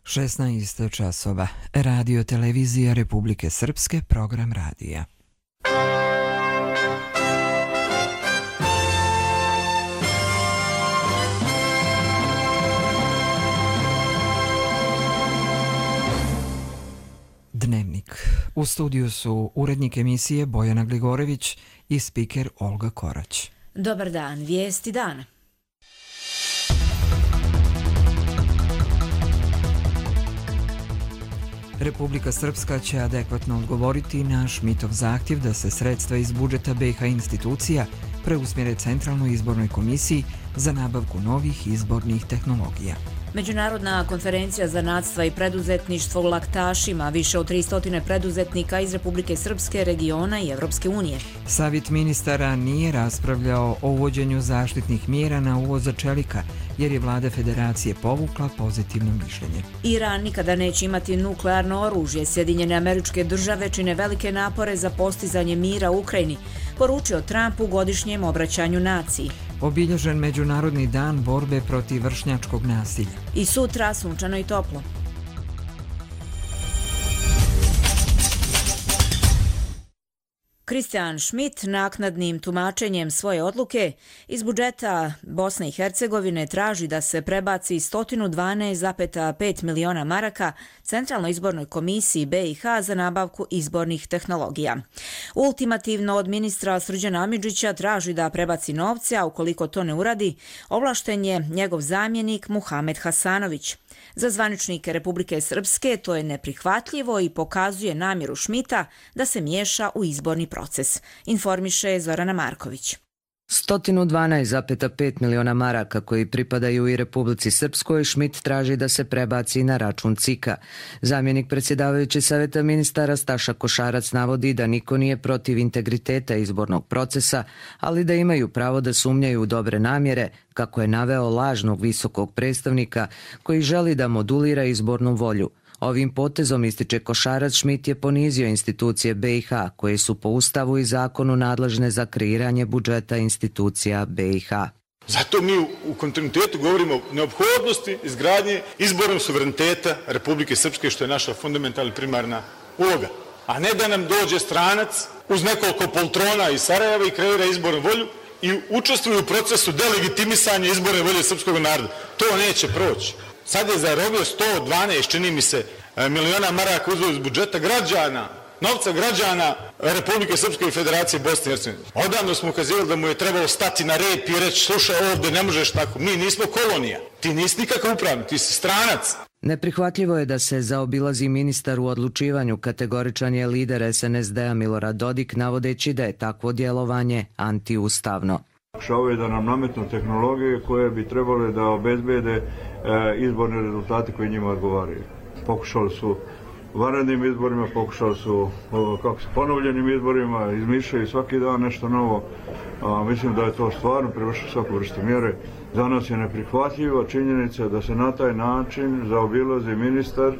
16 časova. Radio televizija Republike Srpske, program radija. Dnevnik. U studiju su urednik emisije Bojana Gligorević i spiker Olga Korać. Dobar dan, vijesti dana. Republika Srpska će adekvatno odgovoriti na Šmitov zahtjev da se sredstva iz budžeta BiH institucija preusmjere Centralnoj izbornoj komisiji za nabavku novih izbornih tehnologija. Međunarodna konferencija zanatstva i preduzetništvo u Laktašima, više od 300 preduzetnika iz Republike Srpske, regiona i Evropske unije. Savjet ministara nije raspravljao o uvođenju zaštitnih mjera na uvoz čelika, jer je vlada federacije povukla pozitivno mišljenje. Iran nikada neće imati nuklearno oružje. Sjedinjene Američke Države čine velike napore za postizanje mira u Ukrajini, poručio Trump u godišnjem obraćanju naciji. Obilježen Međunarodni dan borbe protiv vršnjačkog nasilja. I sutra sunčano i toplo. Kristijan Šmit naknadnim tumačenjem svoje odluke iz budžeta Bosne i Hercegovine traži da se prebaci 112,5 miliona maraka Centralnoj izbornoj komisiji BiH za nabavku izbornih tehnologija. Ultimativno od ministra Srđana Amidžića traži da prebaci novce, a ukoliko to ne uradi, ovlašten je njegov zamjenik Muhamed Hasanović. Za zvaničnike Republike Srpske to je neprihvatljivo i pokazuje namjeru Šmita da se miješa u izborni proces, informiše Zorana Marković. 112,5 miliona maraka koji pripadaju i Republici Srpskoj, Šmit traži da se prebaci na račun CIK-a. Zamjenik predsjedavajući savjeta ministara Staša Košarac navodi da niko nije protiv integriteta izbornog procesa, ali da imaju pravo da sumnjaju u dobre namjere, kako je naveo lažnog visokog predstavnika koji želi da modulira izbornu volju. Ovim potezom, ističe Košarac, Šmit je ponizio institucije BiH, koje su po Ustavu i zakonu nadležne za kreiranje budžeta institucija BiH. Zato mi u kontinuitetu govorimo o neophodnosti izgradnje izbornog suvereniteta Republike Srpske, što je naša fundamentalna primarna uloga. A ne da nam dođe stranac uz nekoliko poltrona iz Sarajeva i kreira izbornu volju i učestvuje u procesu delegitimisanja izborne volje srpskog naroda. To neće proći. Sad je zarobio 112, čini mi se, miliona maraka uzeo iz budžeta građana, novca građana Republike Srpske i Federacije Bosne i Hercegovine. Odavno smo ukazivali da mu je trebalo stati na rep i reći, slušaj, ovdje ne možeš tako, mi nismo kolonija, ti nisi nikakav upravnik, ti si stranac. Neprihvatljivo je da se zaobilazi ministar u odlučivanju, kategoričan je lider SNSD-a Milorad Dodik, navodeći da je takvo djelovanje antiustavno. Pokušavaju da nam nametnu tehnologije koje bi trebale da obezbede izborne rezultate koji njima odgovaraju. Pokušali su vanrednim izborima, pokušali su ponovljenim izborima, izmišljaju svaki dan nešto novo. Mislim da je to stvarno prevršilo svaku vrstu mjere. Za nas je neprihvatljiva činjenica da se na taj način zaobilazi ministar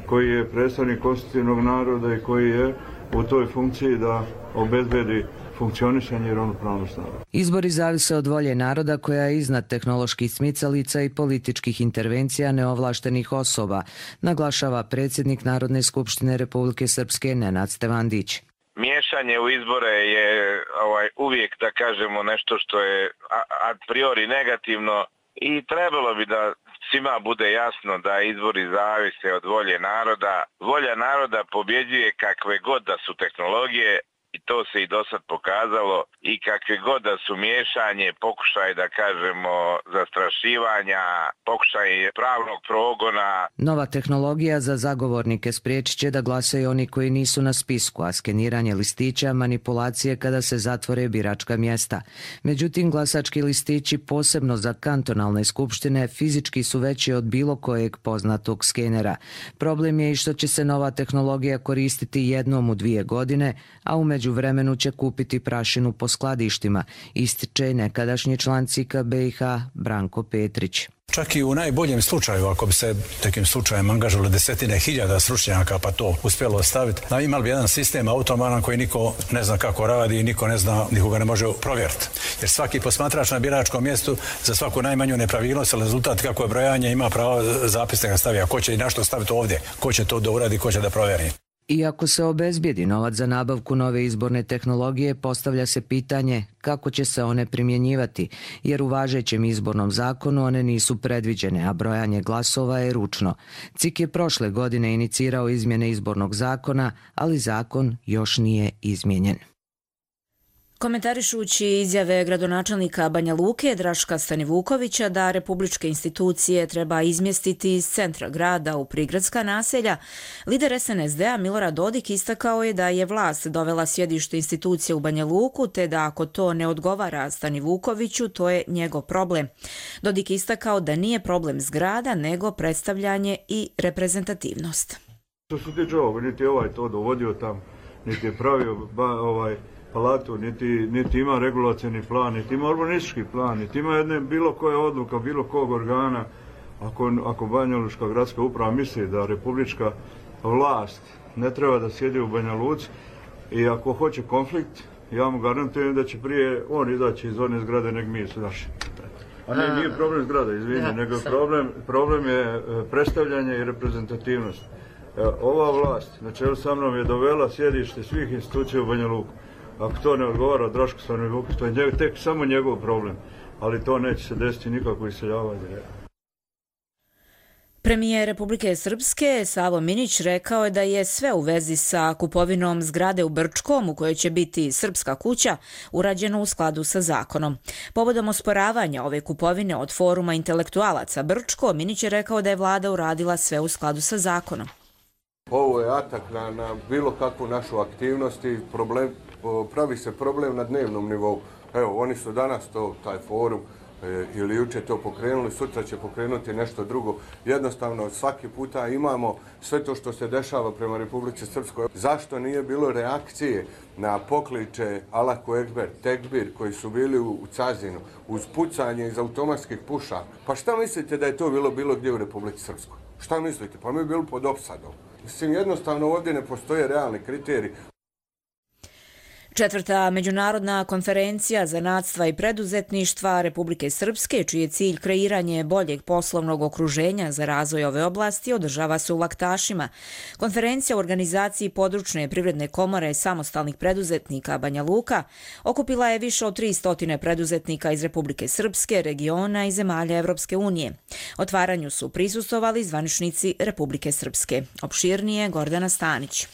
koji je predstavnik konstitutivnog naroda i koji je u toj funkciji da obezbedi funkcionisanje i ravnopravnost naroda. Izbori zavise od volje naroda koja je iznad tehnoloških smicalica i političkih intervencija neovlaštenih osoba, naglašava predsjednik Narodne skupštine Republike Srpske Nenad Stevandić. Miješanje u izbore je uvijek, da kažemo, nešto što je a priori negativno i trebalo bi da svima bude jasno da izbori zavise od volje naroda. Volja naroda pobjeđuje kakve god da su tehnologije, i to se i do sad pokazalo, i kakve god da su miješanje, pokušaj, da kažemo, zastrašivanja, pokušaj pravnog progona. Nova tehnologija za zagovornike spriječit će da glasaju oni koji nisu na spisku, a skeniranje listića, manipulacije kada se zatvore biračka mjesta. Međutim, glasački listići, posebno za kantonalne skupštine, fizički su veći od bilo kojeg poznatog skenera. Problem je i što će se nova tehnologija koristiti jednom u 2 godine, a u međuvremenu će kupiti prašinu po skladištima, ističe nekadašnji član CIK-a BiH Branko Petrić. čak i u najboljem slučaju, ako bi se takim slučajem angažovali desetine hiljada stručnjaka pa to uspjelo ostaviti, imali bi jedan sistem automaran koji niko ne zna kako radi i niko ne zna, nikoga ne može provjeriti. Jer svaki posmatrač na biračkom mjestu za svaku najmanju nepravilnost ili rezultat kako je brojanje ima pravo zapisnika staviti. A ko će i na što staviti ovdje, ko će to da uradi, ko će da provjeri. Iako se obezbijedi novac za nabavku nove izborne tehnologije, postavlja se pitanje kako će se one primjenjivati, jer u važećem izbornom zakonu one nisu predviđene, a brojanje glasova je ručno. CIK je prošle godine inicirao izmjene izbornog zakona, ali zakon još nije izmijenjen. Komentarišući izjave gradonačelnika Banja Luke Draška Stanivukovića da republičke institucije treba izmjestiti iz centra grada u prigradska naselja, lider SNSD-a Milorad Dodik istakao je da je vlast dovela sjedište institucije u Banja Luku, te da ako to ne odgovara Stanivukoviću, to je njegov problem. Dodik istakao da nije problem zgrada, nego predstavljanje i reprezentativnost. Što se tiče ovog, niti ovaj to dovodio tam, niti je pravio palatu, niti ima regulacioni plan, niti ima urbanistički plan, niti ima jedne bilo koja odluka, bilo kog organa. Ako Banja Lučka gradska uprava misli da republička vlast ne treba da sjedi u Banja Luci i ako hoće konflikt, ja mu garantujem da će prije on izaći iz one zgrade nego mi su naši. A nije problem zgrada, izvini, nego problem je predstavljanje i reprezentativnost. Ova vlast na čelu sa mnom je dovela sjedište svih institucija u Banja Luku. Ako to ne odgovara Draško Stanivuković, to je tek samo njegov problem, ali to neće se desiti nikako iseljavanje. Premijer Republike Srpske Savo Minić rekao je da je sve u vezi sa kupovinom zgrade u Brčkom, u kojoj će biti Srpska kuća, urađeno u skladu sa zakonom. Povodom osporavanja ove kupovine od Foruma intelektualaca Brčko, Minić je rekao da je vlada uradila sve u skladu sa zakonom. Ovo je atak na bilo kakvu našu aktivnost i pravi se problem na dnevnom nivou. Evo, oni su danas taj forum ili juče to pokrenuli, sutra će pokrenuti nešto drugo. Jednostavno, svaki puta imamo sve to što se dešava prema Republici Srpskoj. Zašto nije bilo reakcije na pokliče Allahu Ekber, Tekbir koji su bili u Cazinu, uz pucanje iz automatskih pušaka? Pa šta mislite da je to bilo gdje u Republici Srpskoj? Šta mislite? Pa mi bili pod opsadom. Mislim, jednostavno ovdje ne postoje realni kriteriji. Četvrta međunarodna konferencija zanatstva i preduzetništva Republike Srpske, čiji je cilj kreiranje boljeg poslovnog okruženja za razvoj ove oblasti, održava se u Laktašima. Konferencija u organizaciji područne privredne komore samostalnih preduzetnika Banja Luka okupila je više od 300 preduzetnika iz Republike Srpske, regiona i zemalja Evropske unije. Otvaranju su prisustvovali zvaničnici Republike Srpske. Opširnije Gordana Stanić.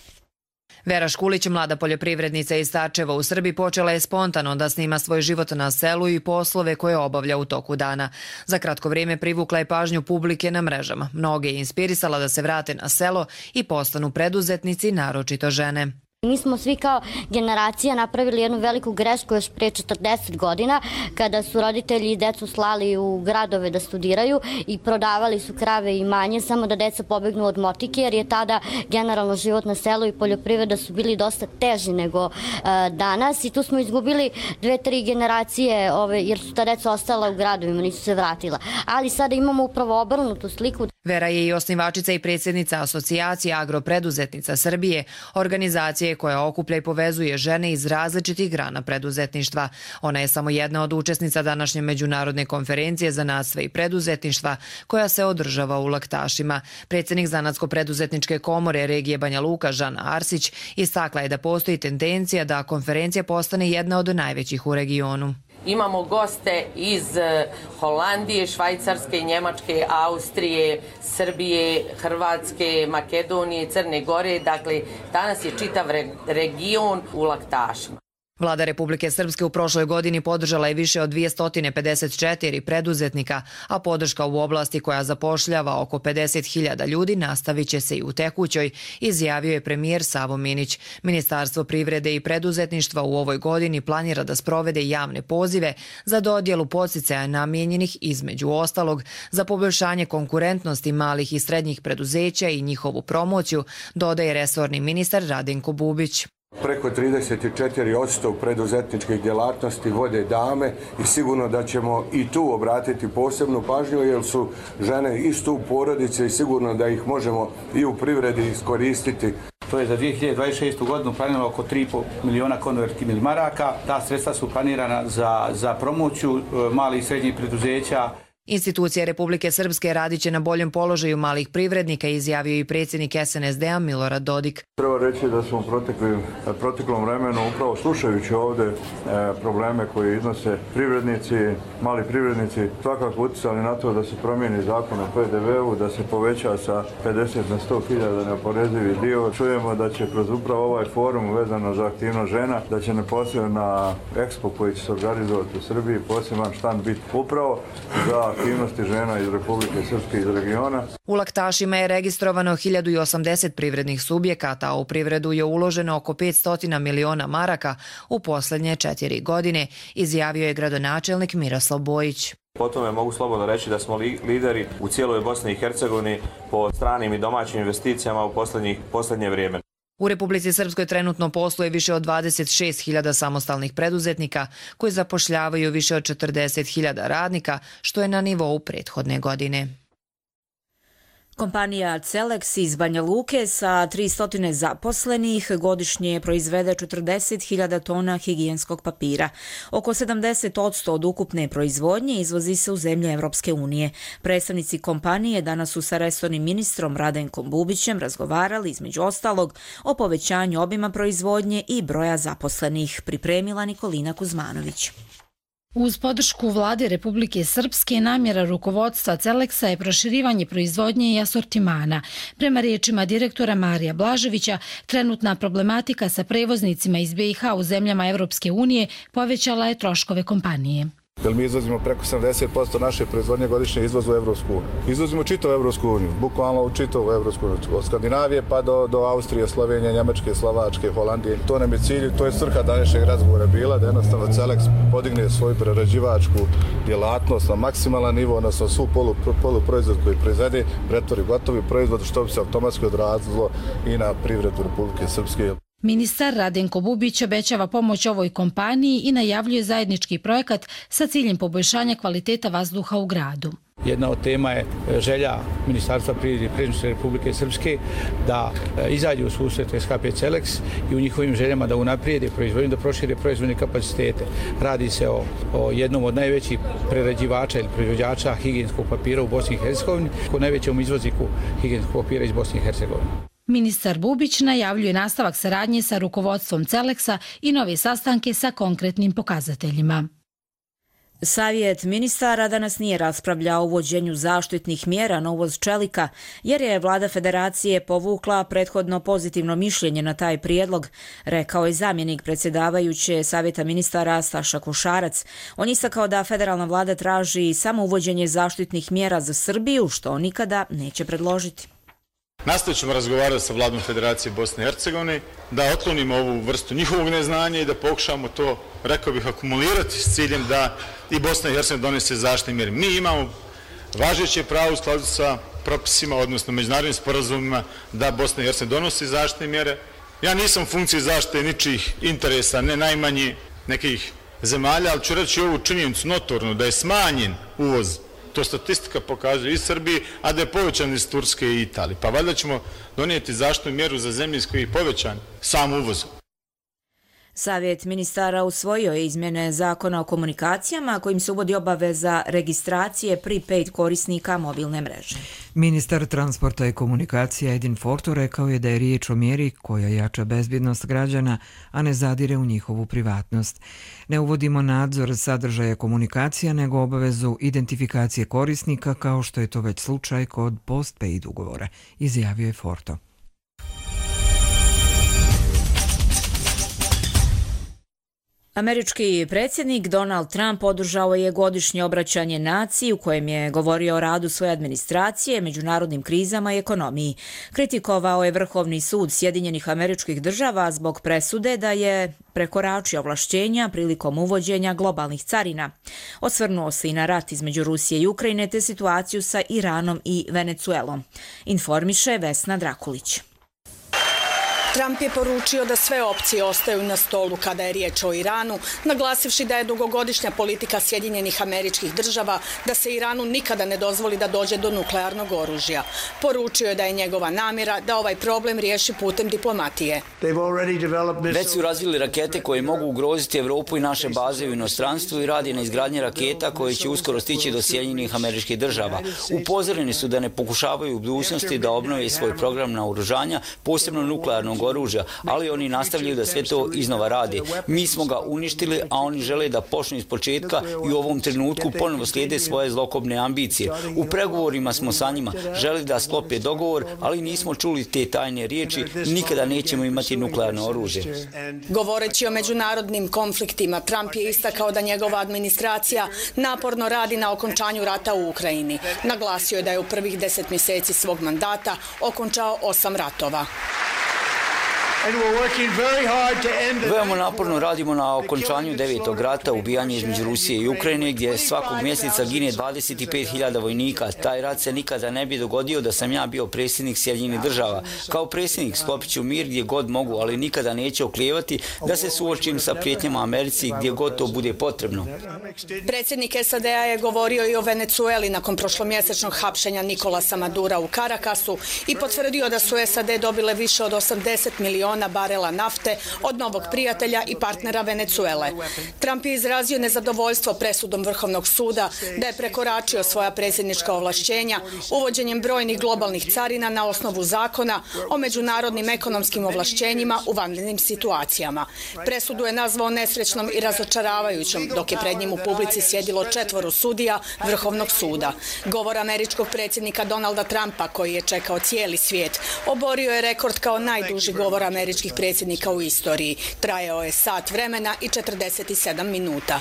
Vera Škulić, mlada poljoprivrednica iz Starčeva u Srbiji, počela je spontano da snima svoj život na selu i poslove koje obavlja u toku dana. Za kratko vrijeme privukla je pažnju publike na mrežama. Mnoge je inspirisala da se vrate na selo i postanu preduzetnici, naročito žene. Mi smo svi kao generacija napravili jednu veliku grešku još prije 40 godina kada su roditelji i decu slali u gradove da studiraju i prodavali su krave i manje samo da deca pobegnu od motike, jer je tada generalno život na selu i poljoprivreda su bili dosta teži nego danas i tu smo izgubili 2-3 generacije jer su ta deca ostala u gradovima, nisu se vratila. Ali sada imamo upravo obrnutu sliku. Vera je i osnivačica i predsjednica Asocijacije agropreduzetnica Srbije, organizacije koja okuplja i povezuje žene iz različitih grana preduzetništva. Ona je samo jedna od učesnica današnje međunarodne konferencije zanatstva i preduzetništva koja se održava u Laktašima. Predsjednik Zanatsko-preduzetničke komore regije Banja Luka Žana Arsić istakla je da postoji tendencija da konferencija postane jedna od najvećih u regionu. Imamo goste iz Holandije, Švajcarske, Njemačke, Austrije, Srbije, Hrvatske, Makedonije, Crne Gore. Dakle, danas je čitav region u Laktašima. Vlada Republike Srpske u prošloj godini podržala je više od 254 preduzetnika, a podrška u oblasti koja zapošljava oko 50.000 ljudi nastavit će se i u tekućoj, izjavio je premijer Savo Minić. Ministarstvo privrede i preduzetništva u ovoj godini planira da sprovede javne pozive za dodjelu podsticaja namijenjenih između ostalog za poboljšanje konkurentnosti malih i srednjih preduzeća i njihovu promociju, dodaje resorni ministar Radenko Bubić. Preko 34% preduzetničkih djelatnosti vode dame i sigurno da ćemo i tu obratiti posebnu pažnju jer su žene isto u porodici i sigurno da ih možemo i u privredi iskoristiti. To je za 2026. godinu planirano oko 3,5 miliona konvertibilnih maraka. Ta sredstva su planirana za promociju malih i srednjih preduzeća. Institucije Republike Srpske radit će na boljem položaju malih privrednika, izjavio i predsjednik SNSD-a Milorad Dodik. Treba reći da smo u proteklom vremenu, upravo slušajući ovdje probleme koje iznose privrednici, mali privrednici, svakako utjecali na to da se promijeni zakon o PDV-u, da se poveća sa 50 na 100.000 neoporezivi dio. Čujemo da će kroz upravo ovaj forum vezano za aktivnost žena, da će neposebno na Expo koji će se organizovati u Srbiji poseban štand biti upravo za aktivnosti žena iz Republike Srpske iz regiona. U Laktašima je registrovano 1080 privrednih subjekata, a u privredu je uloženo oko 500 miliona maraka u posljednje 4 godine, izjavio je gradonačelnik Miroslav Bojić. Po tome mogu slobodno reći da smo lideri u cijeloj Bosni i Hercegovini po stranim i domaćim investicijama u posljednje vrijeme. U Republici Srpskoj trenutno posluje više od 26.000 samostalnih preduzetnika koji zapošljavaju više od 40.000 radnika, što je na nivou prethodne godine. Kompanija Celex iz Banja Luke sa 300 zaposlenih godišnje proizvede 40.000 tona higijenskog papira. Oko 70% od ukupne proizvodnje izvozi se u zemlje Evropske unije. Predstavnici kompanije danas su sa resornim ministrom Radenkom Bubićem razgovarali između ostalog o povećanju obima proizvodnje i broja zaposlenih, pripremila Nikolina Kuzmanović. Uz podršku vlade Republike Srpske namjera rukovodstva Celexa je proširivanje proizvodnje i asortimana. Prema riječima direktora Marija Blaževića, trenutna problematika sa prevoznicima iz BiH u zemljama Evropske unije povećala je troškove kompanije. Jer mi izvozimo preko 70% naše proizvodnje godišnje izvozu u Evropsku uniju. Izvozimo čitavu Evropsku uniju, bukvalno u čitavu Evropsku uniju. Od Skandinavije pa do Austrije, Slovenije, Njemačke, Slovačke, Holandije. To nam je cilj, to je svrha današnjeg razgovora bila da jednostavno Celex podigne svoju prerađivačku djelatnost na maksimalan nivo, odnosno svu poluproizvod koji proizvede, pretvori gotovi proizvod što bi se automatski odrazilo i na privredu Republike Srpske. Ministar Radenko Bubić obećava pomoć ovoj kompaniji i najavljuje zajednički projekat sa ciljem poboljšanja kvaliteta vazduha u gradu. Jedna od tema je želja Ministarstva privrede i predsjedništva Republike Srpske da izađu u susret SHP Celex i u njihovim željama da unaprijede proizvodnju, da prošire proizvodne kapacitete. Radi se o jednom od najvećih prerađivača ili proizvođača higijenskog papira u Bosni i Hercegovini, kao najvećem izvozniku higijenskog papira iz Bosne i Hercegovine. Ministar Bubić najavljuje nastavak saradnje sa rukovodstvom Celexa i nove sastanke sa konkretnim pokazateljima. Savjet ministara danas nije raspravljao o uvođenju zaštitnih mjera na uvoz čelika, jer je vlada federacije povukla prethodno pozitivno mišljenje na taj prijedlog, rekao je zamjenik predsjedavajuće Savjeta ministara Staša Košarac. On istakao da federalna vlada traži samo uvođenje zaštitnih mjera za Srbiju, što nikada neće predložiti. Nastavit ćemo razgovarati sa vladom Federacije Bosne i Hercegovine, da otklonimo ovu vrstu njihovog neznanja i da pokušamo to, rekao bih, akumulirati s ciljem da i Bosna i Hercegovina donese zaštitne mjere. Mi imamo važeće pravo u skladu sa propisima, odnosno međunarodnim sporazumima, da Bosna i Hercegovina donosi zaštitne mjere. Ja nisam u funkciji zaštite ničijih interesa, ne najmanji nekih zemalja, ali ću reći ovu činjenicu notornu da je smanjen uvoz. To statistika pokazuje iz Srbije, a da je povećan iz Turske i Italije. Pa valjda ćemo donijeti zaštitnu mjeru za zemlje iz koje je povećan sam uvoz. Savjet ministara usvojio je izmjene zakona o komunikacijama kojim se uvodi obaveza registracije prepaid korisnika mobilne mreže. Ministar transporta i komunikacija Edin Forto rekao je da je riječ o mjeri koja jača bezbjednost građana, a ne zadire u njihovu privatnost. Ne uvodimo nadzor sadržaja komunikacija, nego obavezu identifikacije korisnika, kao što je to već slučaj kod postpaid ugovora, izjavio je Forto. Američki predsjednik Donald Trump održao je godišnje obraćanje naciji u kojem je govorio o radu svoje administracije, međunarodnim krizama i ekonomiji. Kritikovao je Vrhovni sud Sjedinjenih Američkih Država zbog presude da je prekoračio ovlašćenja prilikom uvođenja globalnih carina. Osvrnuo se i na rat između Rusije i Ukrajine te situaciju sa Iranom i Venecuelom. Informiše Vesna Drakulić. Trump je poručio da sve opcije ostaju na stolu kada je riječ o Iranu, naglasivši da je dugogodišnja politika Sjedinjenih Američkih Država da se Iranu nikada ne dozvoli da dođe do nuklearnog oružja. Poručio je da je njegova namjera da ovaj problem riješi putem diplomatije. Već su razvili rakete koje mogu ugroziti Evropu i naše baze u inostranstvu i radi na izgradnji raketa koje će uskoro stići do Sjedinjenih Američkih Država. Upozoreni su da ne pokušavaju u budućnosti da obnove svoj program naoružanja, posebno nuklearnog oružja, ali oni nastavljaju da sve to iznova rade. Mi smo ga uništili, a oni žele da počnu iz početka i u ovom trenutku ponovo slijede svoje zlokobne ambicije. U pregovorima smo sa njima, želi da sklope dogovor, ali nismo čuli te tajne riječi, nikada nećemo imati nuklearno oružje. Govoreći o međunarodnim konfliktima, Trump je istakao da njegova administracija naporno radi na okončanju rata u Ukrajini. Naglasio je da je u prvih 10 mjeseci svog mandata okončao 8 ratova. Veoma naporno radimo na okončanju 9. rata, ubijanje između Rusije i Ukrajine, gdje svakog mjeseca gine 25.000 vojnika. Taj rat se nikada ne bi dogodio da sam ja bio predsjednik Sjedinjenih Država. Kao predsjednik sklopit ću mir gdje god mogu, ali nikada neću oklijevati da se suočim sa prijetnjama Americi gdje god to bude potrebno. Predsjednik SAD-a je govorio i o Venezueli nakon prošlomjesečnog hapšenja Nicolasa Madura u Carakasu i potvrdio da su SAD dobile više od 80 miliona barela nafte od novog prijatelja i partnera Venezuele. Trump je izrazio nezadovoljstvo presudom Vrhovnog suda da je prekoračio svoja predsjednička ovlašćenja uvođenjem brojnih globalnih carina na osnovu zakona o međunarodnim ekonomskim ovlašćenjima u vanrednim situacijama. Presudu je nazvao nesrećnom i razočaravajućom, dok je pred njim u publici sjedilo 4 sudija Vrhovnog suda. Govor američkog predsjednika Donalda Trumpa, koji je čekao cijeli svijet, oborio je rekord kao najduži govor američkih predsjednika u istoriji. Trajao je sat vremena i 47 minuta.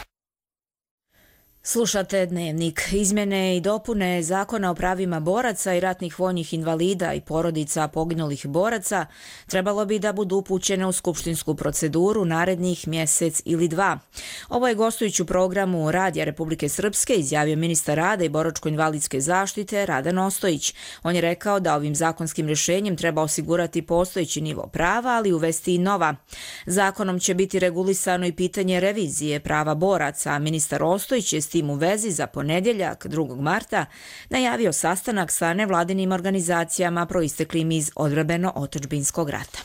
Slušate Dnevnik. Izmjene i dopune Zakona o pravima boraca i ratnih vojnih invalida i porodica poginulih boraca trebalo bi da budu upućene u skupštinsku proceduru narednih mjesec ili 2. Ovo je gostujući u programu Radija Republike Srpske izjavio ministar rada i boračko-invalidske zaštite Radan Ostojić. On je rekao da ovim zakonskim rješenjem treba osigurati postojeći nivo prava, ali uvesti i nova. Zakonom će biti regulisano i pitanje revizije prava boraca, a ministar Ostojić je s tim u vezi za ponedjeljak 2. marta najavio sastanak sa nevladinim organizacijama proisteklim iz odbrambeno-otadžbinskog rata.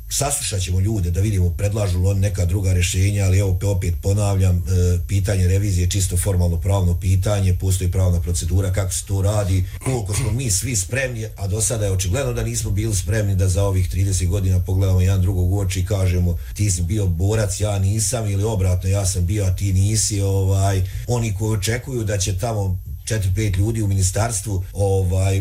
Saslušat ćemo ljude da vidimo predlažu li oni neka druga rješenja, ali evo opet ponavljam, pitanje revizije je čisto formalno pravno pitanje, postoji pravna procedura kako se to radi, koliko smo mi svi spremni, a do sada je očigledno da nismo bili spremni da za ovih 30 godina pogledamo jedan drugog u oči i kažemo ti si bio borac, ja nisam, ili obratno, ja sam bio, a ti nisi. Oni koji očekuju da će tamo 4-5 ljudi u ministarstvu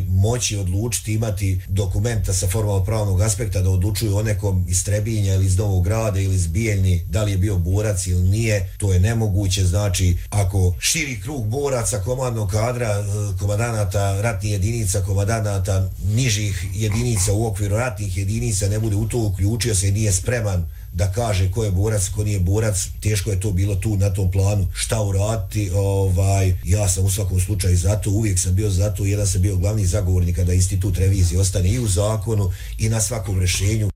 moći odlučiti, imati dokumenta sa formalno pravnog aspekta da odlučuju o nekom iz Trebinja ili iz Novog Grada ili iz Bijeljni, da li je bio borac ili nije, to je nemoguće. Znači, ako širi krug boraca, komandnog kadra, komandanata ratnih jedinica, komandanata nižih jedinica u okviru ratnih jedinica ne bude u to uključio se i nije spreman da kaže ko je borac, ko nije borac, teško je to bilo tu na tom planu šta uraditi. Ja sam u svakom slučaju za to, uvijek sam bio za to, jedan sam bio glavni zagovornik kada institut revizije ostane i u zakonu i na svakom rješenju.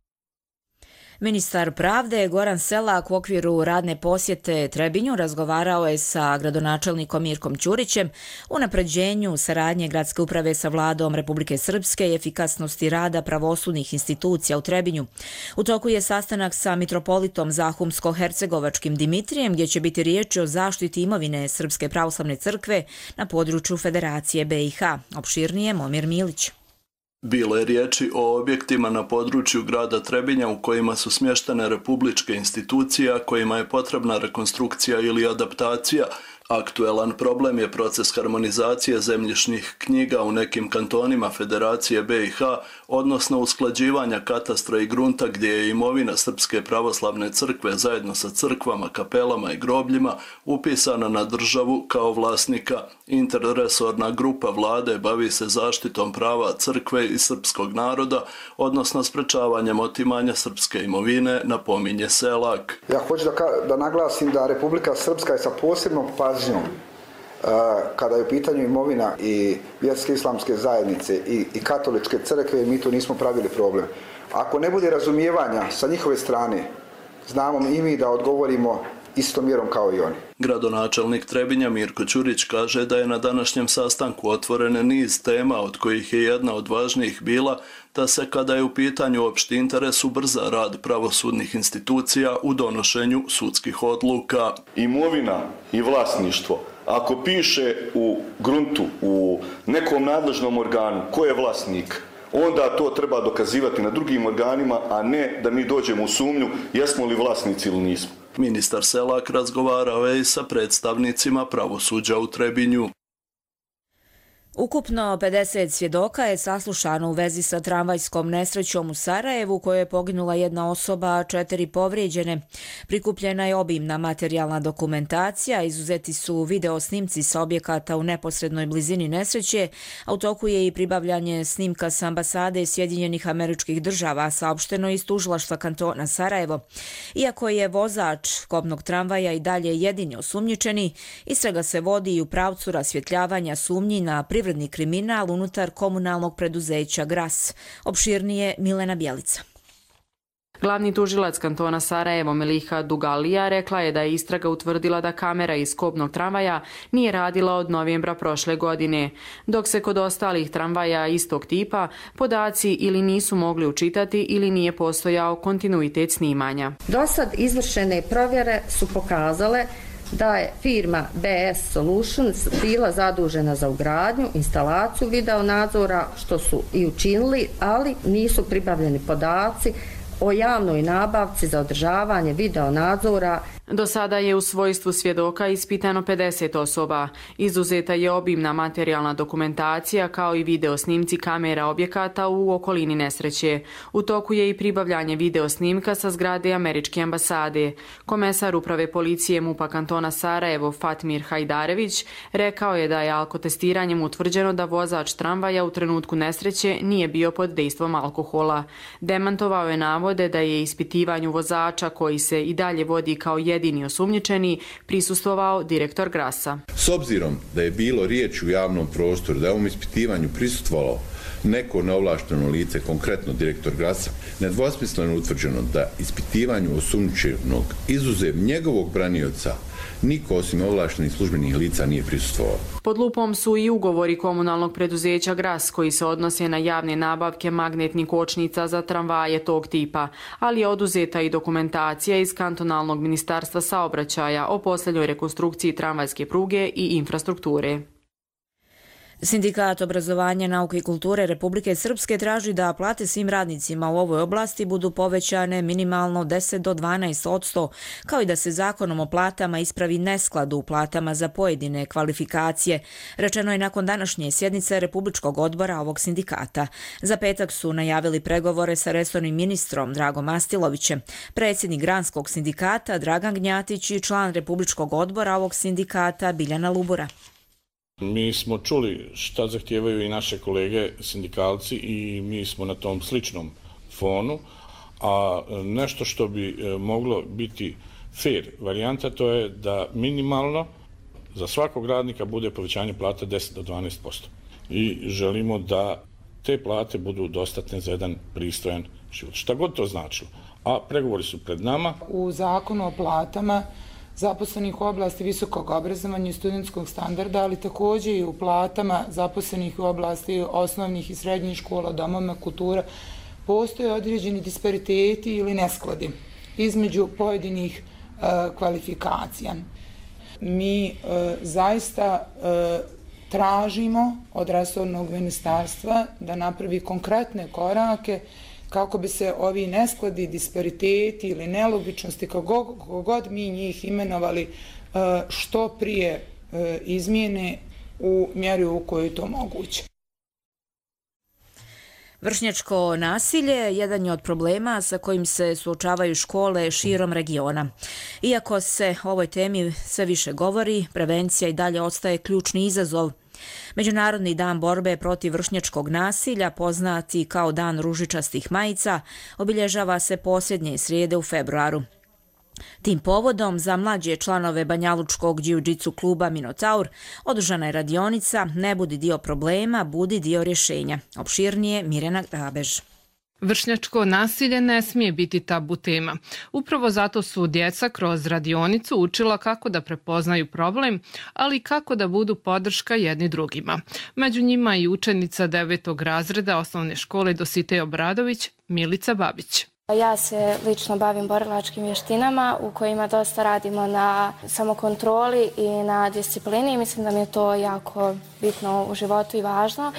Ministar pravde Goran Selak u okviru radne posjete Trebinju razgovarao je sa gradonačelnikom Mirkom Ćurićem o unapređenju saradnje gradske uprave sa vladom Republike Srpske i efikasnosti rada pravosudnih institucija u Trebinju. U toku je sastanak sa mitropolitom Zahumsko-hercegovačkim Dimitrijem, gdje će biti riječ o zaštiti imovine Srpske pravoslavne crkve na području Federacije BiH. Opširnije Momir Milić. Bilo je riječi o objektima na području grada Trebinja u kojima su smještene republičke institucije, a kojima je potrebna rekonstrukcija ili adaptacija. Aktuelan problem je proces harmonizacije zemljišnih knjiga u nekim kantonima Federacije BiH, odnosno usklađivanja katastra i grunta gdje je imovina Srpske pravoslavne crkve zajedno sa crkvama, kapelama i grobljima upisana na državu kao vlasnika. Interresorna grupa vlade bavi se zaštitom prava crkve i srpskog naroda, odnosno sprečavanjem otimanja srpske imovine, napominje Selak. Ja hoću da naglasim da Republika Srpska je sa posebnom pažnjom Kada je u pitanju imovina i vjerske islamske zajednice i katoličke crkve, mi tu nismo pravili problem. Ako ne bude razumijevanja sa njihove strane, znamo i mi da odgovorimo istom mjerom kao i oni. Gradonačelnik Trebinja Mirko Ćurić kaže da je na današnjem sastanku otvoren niz tema, od kojih je jedna od važnijih bila da se, kada je u pitanju opšti interes, ubrza rad pravosudnih institucija u donošenju sudskih odluka. Imovina i vlasništvo, ako piše u gruntu, u nekom nadležnom organu ko je vlasnik, onda to treba dokazivati na drugim organima, a ne da mi dođemo u sumnju jesmo li vlasnici ili nismo. Ministar Selak razgovarao je i sa predstavnicima pravosuđa u Trebinju. Ukupno 50 svjedoka je saslušano u vezi sa tramvajskom nesrećom u Sarajevu, u kojoj je poginula jedna osoba, a 4 povrijeđene. Prikupljena je obimna materijalna dokumentacija, izuzeti su video snimci sa objekata u neposrednoj blizini nesreće, a u toku je i pribavljanje snimka sa ambasade Sjedinjenih Američkih Država, saopšteno iz tužilaštva kantona Sarajevo. Iako je vozač kopnog tramvaja i dalje jedini osumnjičeni, istraga se vodi i u pravcu rasvjetljavanja sumnji na privredni kriminal unutar komunalnog preduzeća GRAS. Opširnije Milena Bjelica. Glavni tužilac kantona Sarajevo Meliha Dugalija rekla je da je istraga utvrdila da kamera iz kopnog tramvaja nije radila od novembra prošle godine, dok se kod ostalih tramvaja istog tipa podaci ili nisu mogli učitati ili nije postojao kontinuitet snimanja. Dosad izvršene provjere su pokazale da je firma BS Solutions bila zadužena za ugradnju, instalaciju video nadzora, što su i učinili, ali nisu pribavljeni podaci o javnoj nabavci za održavanje video nadzora. Do sada je u svojstvu svjedoka ispitano 50 osoba. Izuzeta je obimna materijalna dokumentacija kao i video snimci kamera objekata u okolini nesreće. U toku je i pribavljanje video snimka sa zgrade Američke ambasade. Komesar uprave policije MUP-a kantona Sarajevo Fatmir Hajdarević rekao je da je alkotestiranjem utvrđeno da vozač tramvaja u trenutku nesreće nije bio pod dejstvom alkohola. Demantovao je navode da je ispitivanju vozača, koji se i dalje vodi kao jedini osumnjičeni, prisustvovao direktor GRAS-a. S obzirom da je bilo riječ u javnom prostoru, da je ovom ispitivanju prisustvovalo neko neovlašteno lice, konkretno direktor GRAS-a, nedvosmisleno utvrđeno da ispitivanju osumnjičenog izuzev njegovog branioca niko osim ovlaštenih službenih lica nije prisustvovao. Pod lupom su i ugovori komunalnog preduzeća GRAS koji se odnose na javne nabavke magnetnih kočnica za tramvaje tog tipa, ali je oduzeta i dokumentacija iz kantonalnog ministarstva saobraćaja o posljednjoj rekonstrukciji tramvajske pruge i infrastrukture. Sindikat obrazovanja, nauke i kulture Republike Srpske traži da plate svim radnicima u ovoj oblasti budu povećane minimalno 10 do 12%, kao i da se zakonom o platama ispravi nesklad u platama za pojedine kvalifikacije. Rečeno je nakon današnje sjednice Republičkog odbora ovog sindikata. Za petak su najavili pregovore sa resornim ministrom Dragom Astilovićem, predsjednik Granskog sindikata Dragan Gnjatić i član Republičkog odbora ovog sindikata Biljana Lubura. Mi smo čuli šta zahtijevaju i naše kolege sindikalci i mi smo na tom sličnom fonu, a nešto što bi moglo biti fair varijanta, to je da minimalno za svakog radnika bude povećanje plata 10 do 12%. I želimo da te plate budu dostatne za jedan pristojan život. Šta god to značilo. A pregovori su pred nama. U zakonu o platama zaposlenih u oblasti visokog obrazovanja i studentskog standarda, ali također i u platama zaposlenih u oblasti osnovnih i srednjih škola, domovima kultura, postoje određeni dispariteti ili neskladi između pojedinih kvalifikacija. Mi zaista tražimo od resornog ministarstva da napravi konkretne korake kako bi se ovi neskladi, dispariteti ili nelogičnosti, kako god mi njih imenovali, što prije izmijene u mjeri u kojoj je to moguće. Vršnjačko nasilje jedan je od problema sa kojim se suočavaju škole širom regiona. Iako se o ovoj temi sve više govori, prevencija i dalje ostaje ključni izazov. Međunarodni dan borbe protiv vršnjačkog nasilja, poznati kao Dan ružičastih majica, obilježava se posljednje srijede u februaru. Tim povodom za mlađe članove banjalučkog džiu-džitsu kluba Minotaur održana je radionica Ne budi dio problema, budi dio rješenja. Opširnije Mirjana Grabež. Vršnjačko nasilje ne smije biti tabu tema. Upravo zato su djeca kroz radionicu učila kako da prepoznaju problem, ali i kako da budu podrška jedni drugima. Među njima i učenica 9. razreda osnovne škole Dositej Obradović, Milica Babić. Ja se lično bavim borilačkim vještinama u kojima dosta radimo na samokontroli i na disciplini. Mislim da mi je to jako bitno u životu i važno.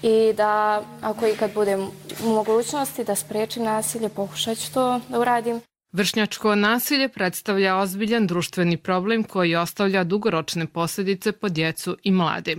I da ako ikad budem u mogućnosti da spriječim nasilje, pokušat ću to da uradim. Vršnjačko nasilje predstavlja ozbiljan društveni problem koji ostavlja dugoročne posljedice po djecu i mlade.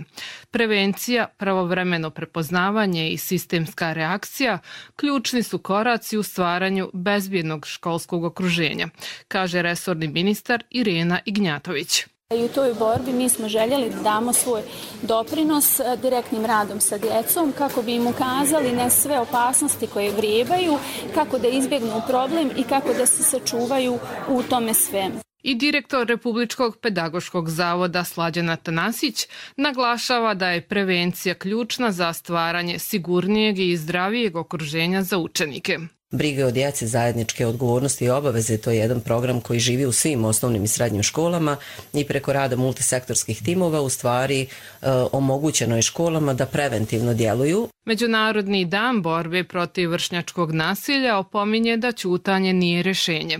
Prevencija, pravovremeno prepoznavanje i sistemska reakcija ključni su koraci u stvaranju bezbjednog školskog okruženja, kaže resorni ministar Irena Ignjatović. I u toj borbi mi smo željeli da damo svoj doprinos direktnim radom sa djecom kako bi im ukazali na sve opasnosti koje vrijebaju, kako da izbjegnu problem i kako da se sačuvaju u tome svemu. I direktor Republičkog pedagoškog zavoda Slađan Atanasić naglašava da je prevencija ključna za stvaranje sigurnijeg i zdravijeg okruženja za učenike. Brige o djeci, zajedničke odgovornosti i obaveze, to je jedan program koji živi u svim osnovnim i srednjim školama i preko rada multisektorskih timova u stvari omogućeno je školama da preventivno djeluju. Međunarodni dan borbe protiv vršnjačkog nasilja opominje da ćutanje nije rješenje.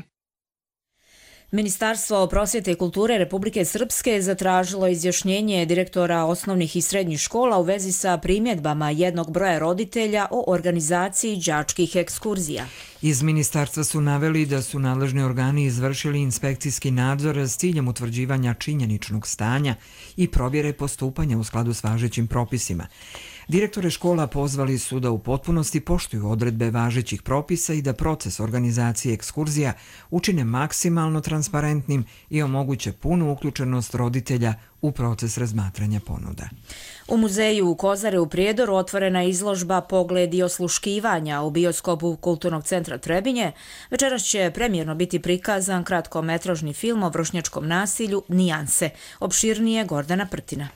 Ministarstvo prosvjete i kulture Republike Srpske zatražilo izjašnjenje direktora osnovnih i srednjih škola u vezi sa primjedbama jednog broja roditelja o organizaciji đačkih ekskurzija. Iz ministarstva su naveli da su nadležni organi izvršili inspekcijski nadzor s ciljem utvrđivanja činjeničnog stanja i provjere postupanja u skladu s važećim propisima. Direktore škola pozvali su da u potpunosti poštuju odredbe važećih propisa i da proces organizacije ekskurzija učine maksimalno transparentnim i omoguće punu uključenost roditelja u proces razmatranja ponuda. U muzeju u Kozare u Prijedoru otvorena je izložba Pogled i osluškivanja u bioskopu Kulturnog centra Trebinje. Večeras će premijerno biti prikazan kratkometražni film o vršnjačkom nasilju Nijanse. Opširnije Gordana Prtina.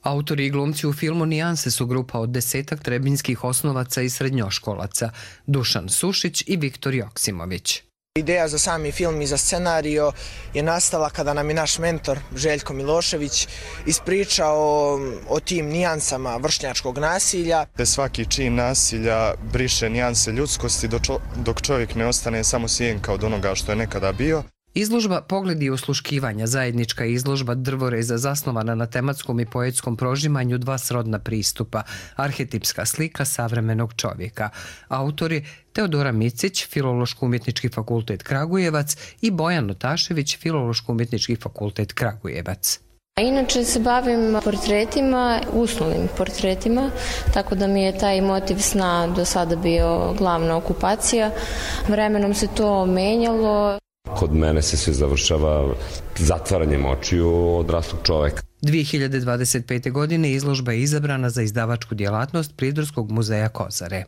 Autori i glumci u filmu Nijanse su grupa od 10 trebinjskih osnovaca i srednjoškolaca, Dušan Sušić i Viktor Joksimović. Ideja za sami film i za scenario je nastala kada nam je naš mentor Željko Milošević ispričao o tim nijansama vršnjačkog nasilja. Svaki čin nasilja briše nijanse ljudskosti dok čovjek ne ostane samo sjenka od onoga što je nekada bio. Izložba Pogledi i osluškivanja, zajednička izložba drvoreza zasnovana na tematskom i poetskom prožimanju dva srodna pristupa, arhetipska slika savremenog čovjeka. Autori Teodora Micić, Filološko-umjetnički fakultet Kragujevac i Bojan Notašević, Filološko-umjetnički fakultet Kragujevac. Inače se bavim portretima, uslovnim portretima, tako da mi je taj motiv sna do sada bio glavna okupacija. Vremenom se to menjalo. Kod mene se sve završava zatvaranjem očiju odraslog čoveka. 2025. godine izložba je izabrana za izdavačku djelatnost Prijedorskog muzeja Kozare.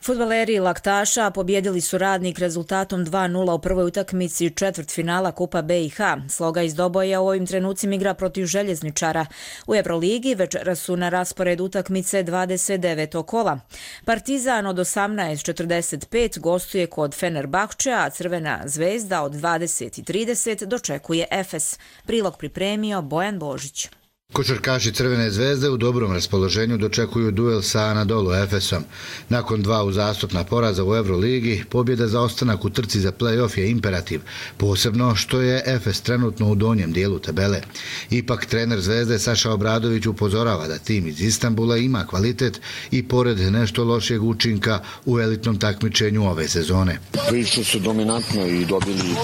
Fudbaleri Laktaša pobjedili su Radnik rezultatom 2:0 u prvoj utakmici četvrtfinala Kupa BiH. Sloga iz Doboja u ovim trenucima igra protiv Željezničara. U Euroligi večeras su na rasporedu utakmice 29. kola. Partizan od 18:45 gostuje kod Fenerbahčea, a Crvena zvezda od 20:30 dočekuje Efes. Prilog pripremio Bojan Božić. Košarkaši Crvene zvezde u dobrom raspoloženju dočekuju duel sa Anadolu Efesom. Nakon dva uzastopna poraza u Euroligi, pobjeda za ostanak u trci za play-off je imperativ, posebno što je Efes trenutno u donjem dijelu tabele. Ipak trener Zvezde Saša Obradović upozorava da tim iz Istanbula ima kvalitet i pored nešto lošijeg učinka u elitnom takmičenju ove sezone. Prilično su dominantno i dobili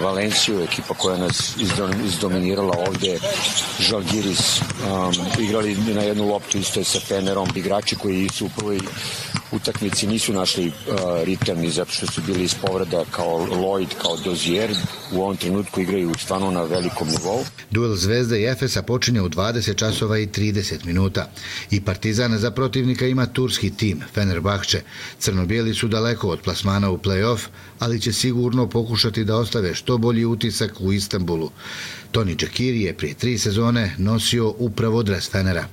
Valenciju, ekipa koja nas izdominirala ovdje, Žalgiris, igrali na jednu loptu isto je sa Fenerom, igrači koji su u prvoj utakmici nisu našli ritam ni zato što su bili iz povreda kao Lloyd, kao Dozier. U ovom trenutku igraju stvarno na velikom nivou. Duel Zvezde i Efesa počinje u 20 časova i 30 minuta. I Partizan za protivnika ima turski tim, Fenerbahče. Crno-bijeli su daleko od plasmana u play-off, ali će sigurno pokušati da ostave što bolji utisak u Istanbulu. Toni Čekiri je prije 3 sezone nosio upravo dres Fenera.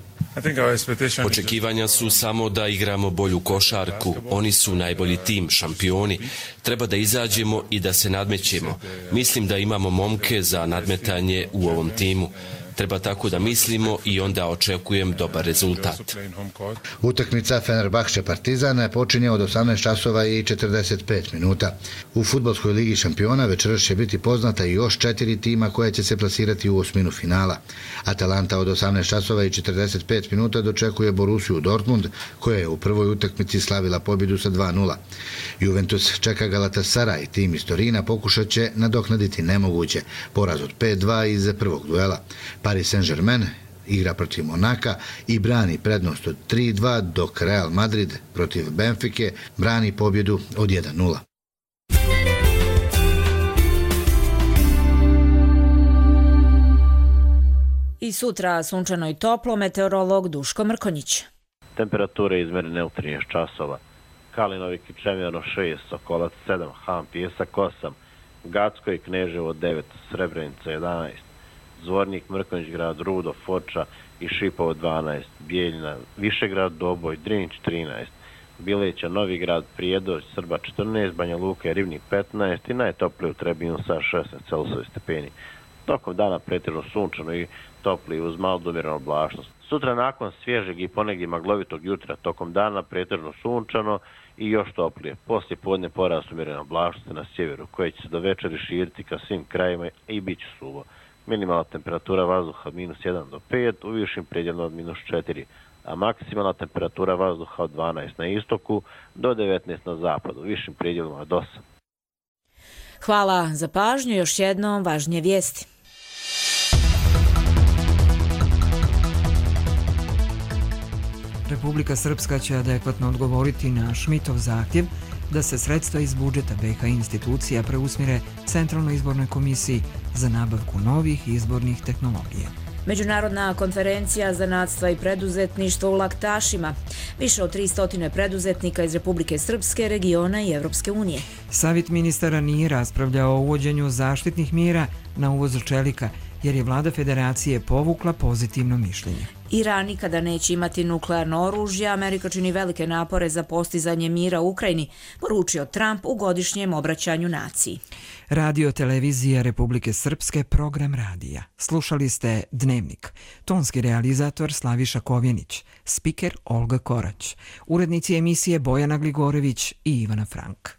Očekivanja su samo da igramo bolju košarku. Oni su najbolji tim, šampioni. Treba da izađemo i da se nadmećemo. Mislim da imamo momke za nadmetanje u ovom timu. Treba tako da mislimo i onda očekujem dobar rezultat. Utakmica Fenerbahče Partizan počinje od 18 časova i 45 minuta. U fudbalskoj ligi šampiona večeras će biti poznata i još 4 tima koja će se plasirati u osminu finala. Atalanta od 18 časova i 45 minuta dočekuje Borussiju Dortmund, koja je u prvoj utakmici slavila pobjedu sa 2:0. Juventus čeka Galatasaray, tim iz Torina pokušat će nadoknaditi nemoguće, poraz od 5:2 iz prvog duela. Paris Saint-Germain igra protiv Monaka i brani prednost od 3:2, dok Real Madrid protiv Benfike brani pobjedu od 1:0. I sutra sunčano i toplo, meteorolog Duško Mrkonjić. Temperature izmerene u 13 časova. Kalinovi Kičevjano 6, Sokolac 7, Han Pijesak 8, Gacko i Kneževo 9, Srebrenica 11, Zvornik, Mrkonjić grad, Rudo, Foča i Šipovo 12, Bijeljina, Višegrad, Doboj, Drinić 13, Bileća, Novi grad, Prijedor, Srba 14, Banja Luka i Rivnik 15 i najtoplije u Trebinju sa 16 stepeni. Tokom dana pretežno sunčano i topli uz malo do umjerenu oblačnost. Sutra nakon svježeg i ponegdje maglovitog jutra tokom dana pretežno sunčano i još toplije. Poslije podne porast umjerene oblačnosti na sjeveru koje će se do večeri širiti ka svim krajima i bit će suvo. Minimalna temperatura vazduha od -1 do 5, u višim predjelima od -4, a maksimalna temperatura vazduha od 12 na istoku do 19 na zapadu, u višim predjelima od 8. Hvala za pažnju, još jednom važnije vijesti. Republika Srpska će adekvatno odgovoriti na Šmitov zahtjev da se sredstva iz budžeta BiH institucija preusmjere Centralnoj izbornoj komisiji za nabavku novih izbornih tehnologija. Međunarodna konferencija zanatstva i preduzetništva u Laktašima. Više od 300 preduzetnika iz Republike Srpske, regiona i Evropske unije. Savjet ministara nije raspravljao o uvođenju zaštitnih mjera na uvoz čelika, jer je vlada federacije povukla pozitivno mišljenje. Iran nikada neće imati nuklearno oružje, Amerika čini velike napore za postizanje mira u Ukrajini, poručio Trump u godišnjem obraćanju naciji. Radio televizija Republike Srpske, program radija. Slušali ste Dnevnik. Tonski realizator Slaviša Kovjenić, spiker Olga Korać, urednici emisije Bojana Gligorević i Ivana Frank.